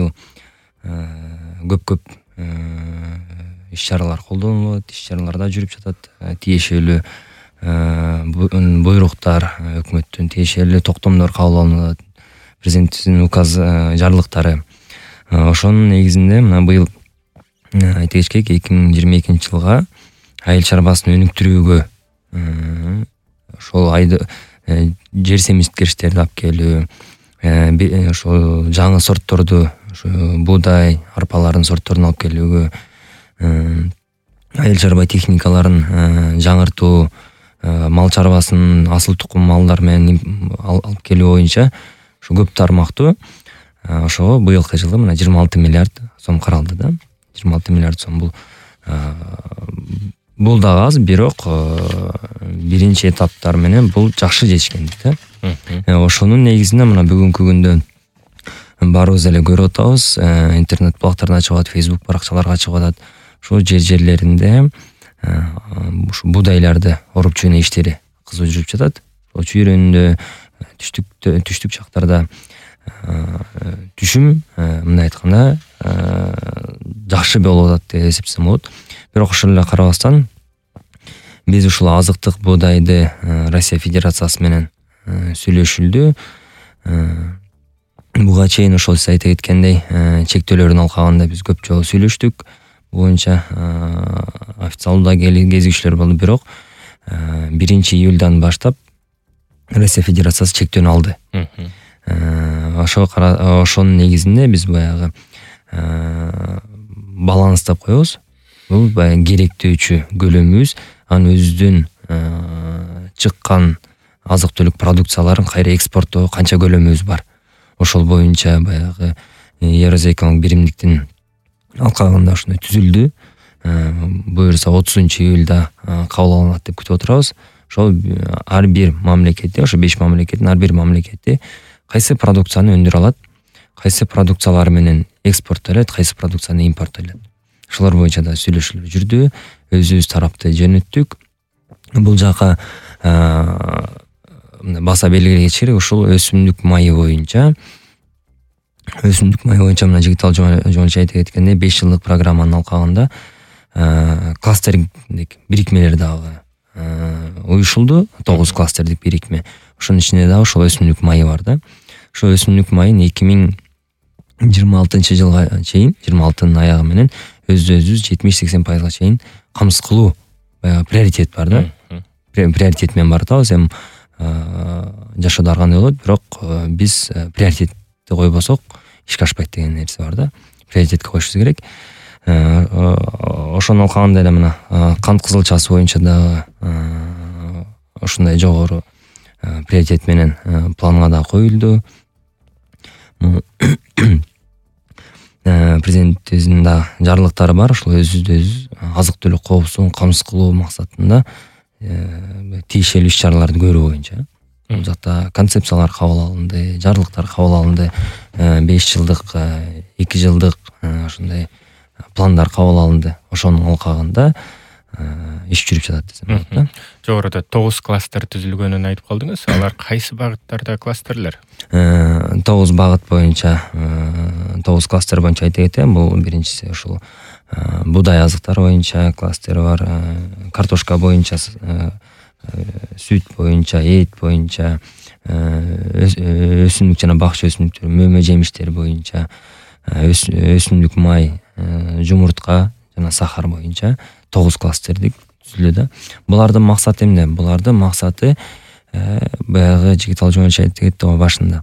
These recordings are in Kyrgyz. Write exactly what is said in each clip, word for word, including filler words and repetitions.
быйыл көп-көп иш чаралар колдонулат, иш чараларда жүрүп жатат. Тиешелүү буйруктар, өкмөттүн тиешелүү токтомдор кабыл алынат, президенттин указ жарлыктары. Ошонун негизинде мына быйыл айта кеткек эки миң жыйырма экинчи жылга айыл чарбасын өнүктүрүүгө ошол айды жер семиздеткичтерди алып келүү, ошол жаңы сортторду, буудай, арпалардын сортторун алып келүүгө, айыл чарба техникаларын жаңыртуу, мал чарбасын асыл тукум малдар менен алып келүү боюнча ушу көп тармактуу. Ошого быйылкы жылы мына жыйырма алты миллиард сом каралды да. жыйырма алты миллиард сом бул бул дагы аз, бирок биринчи этаптар менен бул жакшы жетишкендик да. Ошонун негизинде мына бүгүнкү күндө баарыбыз эле көрүп атабыз, интернет булактарына чыгып атат, Facebook баракчаларга чыгып атат. Ошол жер жерлеринде ушу буудайларды оруп жөнөө иштери кызуу жүрүп жатат. Ошол чүйрөндө, түштүк түштүк жактарда түшүм мындай айтканда жакшы болуп атат деп эсептесем болот. Бирок ошол эле карабастан биз ушул азыктык буудайды Россия Федерациясы менен сүйлөшүлдү. Буга чейин ошол сиз айта кеткендей чектөөлөрдүн алкагында биз көп жолу сүйлөштүк. Боюнча официалдуу кезигиштер болду, бирок биринчи июлдан баштап Россия Федерациясы чектөөнү алды. Ошо ошонун негизинде биз баягы баланс деп коебуз. Бул баягы керектөөчү көлөмүбүз, анын өзүдөн чыккан азык-түлүк продукцияларын кайра экспорттоого канча көлөмүбүз бар. Ошол боюнча баягы Евразия экономикалык биримдиктин алкагында ушундай түзүлдү. Буюрса отузунчу июлда кабыл алынат деп күтүп отурабыз. Ошол ар бир мамлекетте, ошо беш мамлекеттин ар бир мамлекети кайсы продукцияны өндүрө алат, кайсы продукциялар менен экспорттолот, кайсы продукцияны импорттолот. Ошолор боюнча да сүйлөшүүлөр жүрдү. Өзүбүз тарапты жөнөттүк. Бул жака баса белгилегенчи керек, ушул өсүмдүк майы боюнча өсүмдүк майы боюнча мына Жигитал Жомарт айта кеткендей беш жылдык программанын алкагында кластердик бирикмелер дагы уюшулду. тогуз кластердик бирикме. Ошонун ичинде дагы ошол өсүмдүк майы бар да. Ошол өсүмдүк майын эки миң жыйырма алтынчы жылга чейин, жыйырма алтынын аягы менен өз-өзүбүз жетимиш сексен пайызга чейин камсыз кылуу баягы приоритет бар да. Приоритет менен баратабыз. Эми жашоодо ар кандай болот, бирок биз приоритетти койбосок ишке ашпайт деген нерсе бар да. Приоритетке коюшубуз керек. Ошонун алкагында эле мына кант кызылчасы боюнча дагы ушундай жогору приоритет менен планга да коюлду. Президенттибиздин да жарлыктары бар. Ошол өзүбүз азык-түлүк коопсуздугун камсыз кылуу максатында тиешелүү иш чараларды көрүү боюнча бул жакта концепциялар кабыл алынды, жарлыктар кабыл алынды, беш жылдык, эки жылдык ошондой пландар кабыл алынды. Ошонун алкагында иш жүрүп жатат десем болот да. Жогоруда тогуз кластер түзүлгөнүн айтып калдыңыз. Алар кайсы багыттарда кластерлер? тогуз багыт боюнча, тогуз кластер боюнча айта кетем. Бул биринчиси ушул буудай азыктары боюнча кластер бар, картошка боюнча, сүт боюнча, эт боюнча, өсүмдүк жана бакча өсүмдүктөр, мөмө жемиштер боюнча, өсүмдүк май, жумуртка жана сахар боюнча тогуз кластердик түзүлдү да. Булардын максаты эмне? Булардын максаты баягы Жигитал Жомарт айтып кетти го башында.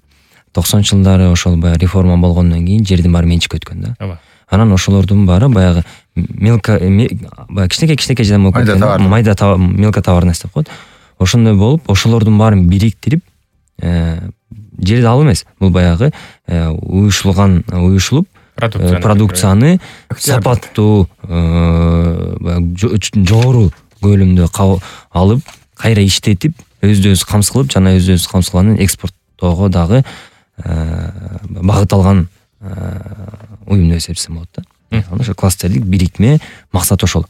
токсонунчу жылдары ошол баягы реформа болгондон кийин жердин баары менчикке өткөн да. Анан ошолордун баары баягы мелко баягы кичинекей-кичинекей жадан болуп кеткен, майда товар, мелко товарность деп коет. Ошондой болуп, ошолордун баарын бириктирип, жерди алуу эмес, бул баягы уюшулган, уюшулуп продукцияны сапаттуу, жогору көлөмдө алып, кайра иштетип, өзү-өзү камсыз кылып, жана өзү-өзү камсыз кылганын экспорттоого дагы багыт алган уюм деп эсептесем болот да. Ошо кластердик бирикме максаты ошол.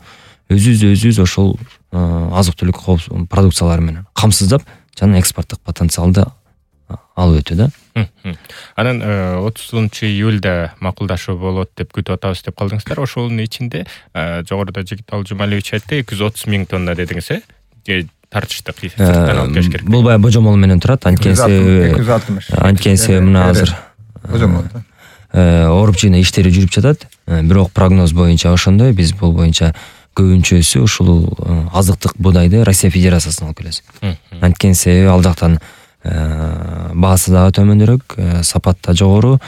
Өзүбүз өзүбүз ошол азык-түлүк продукциялары менен камсыздап, жана экспорттук потенциалды алып өтүү да. Анан отузунчу июлда макулдашуу болот деп күтүп атабыз деп калдыңыздар. Ошонун ичинде жогоруда Жигитал Жумалиевич айтты, эки жүз отуз миң тонна дедиңиз, э? Тартыштык сырттан алып келиш керек. Бул баягы божомол менен турат. Анткенси анткенси мына азыр божомол ооруп жыйнаа иштери жүрүп жатат. Бирок прогноз боюнча ошондой, биз бул боюнча көбүнчөсү ушул азыктык буудайды Россия Федерациясынан алып келебиз. Анткени себеби ал жактан баасы дагы төмөндөөрөөк, сапат да жогору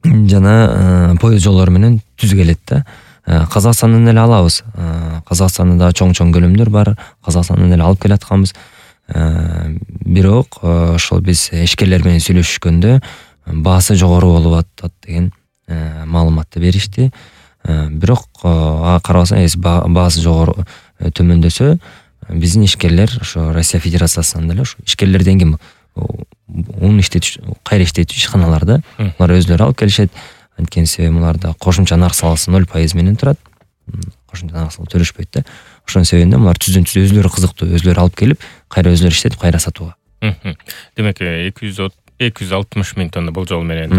жана поезд жолдору менен түз келет да. Казакстандан эле алабыз. Казакстанда дагы чоң-чоң көлөмдөр бар. Казакстандан эле алып келатканбыз. Бирок ошол биз ишкерлер менен сүйлөшүшкөндө баасы жогору болуп атат деген маалыматты беришти. Бирок ага карабастан баасы жогору төмөндөсө, биздин ишкерлер ошо Россия Федерациясынан деле ошо ишкерлерден ким ун иштетүүчү, кайра иштетүүчү ишканалар да, алар өзлөрү алып келишет. Анткени себеби муларда кошумча нарк саласы ноль пайыз менен турат. Кошумча нарк салык төлөшпөйт да. Ошонун себебинен мулар түздөн түз өзлөрү кызыктуу, өзлөрү алып келип, кайра өзлөрү иштетип, кайра сатууга. Демек эки жүз алтымыш миң тонна болжол менен.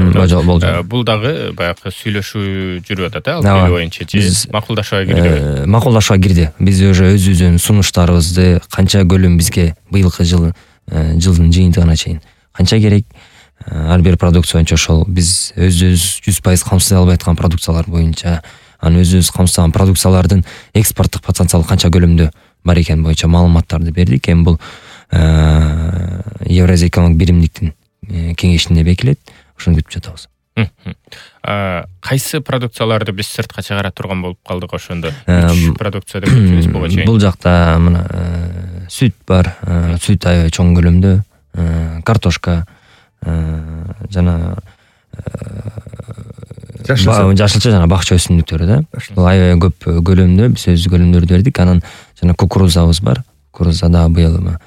Бул дагы баягы сүйлөшүү жүрүп атат, э, ал боюнча же макулдашууга кирди? Макулдашууга кирди. Биз уже өзүбүздүн сунуштарыбызды, канча көлөм бизге быйылкы жыл жылдын жыйынтыгына чейин канча керек, ар бир продукция боюнча ошол биз өзүбүз жүз пайыз камсыздай албай аткан продукциялар боюнча, анан өзүбүз камсыздаган продукциялардын экспорттук потенциалы канча көлөмдө бар экени боюнча маалыматтарды бердик. Эми бул Евразия экономик биримдиктин кеңешинде бекилет. Ошону күтүп жатабыз. Кайсы продукцияларды биз сыртка чыгара турган болуп калдык ошондо? Үч продукция деп айтабыз буга чейин. Бул жакта мына сүт бар, сүт аябай чоң көлөмдө, картошка жана жашылча жана бакча өсүмдүктөрү да. Бул аябай көп көлөмдө биз өз көлөмдөрдү бердик. Анан жана кукурузабыз бар. Кукуруза да быйыл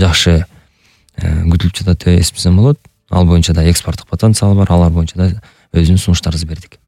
жакшы күтүлүп жатат деп эсептесем болот. Ал боюнча да экспорттук потенциал бар, алар боюнча да өзүнүн сунуштарыбызды бердик.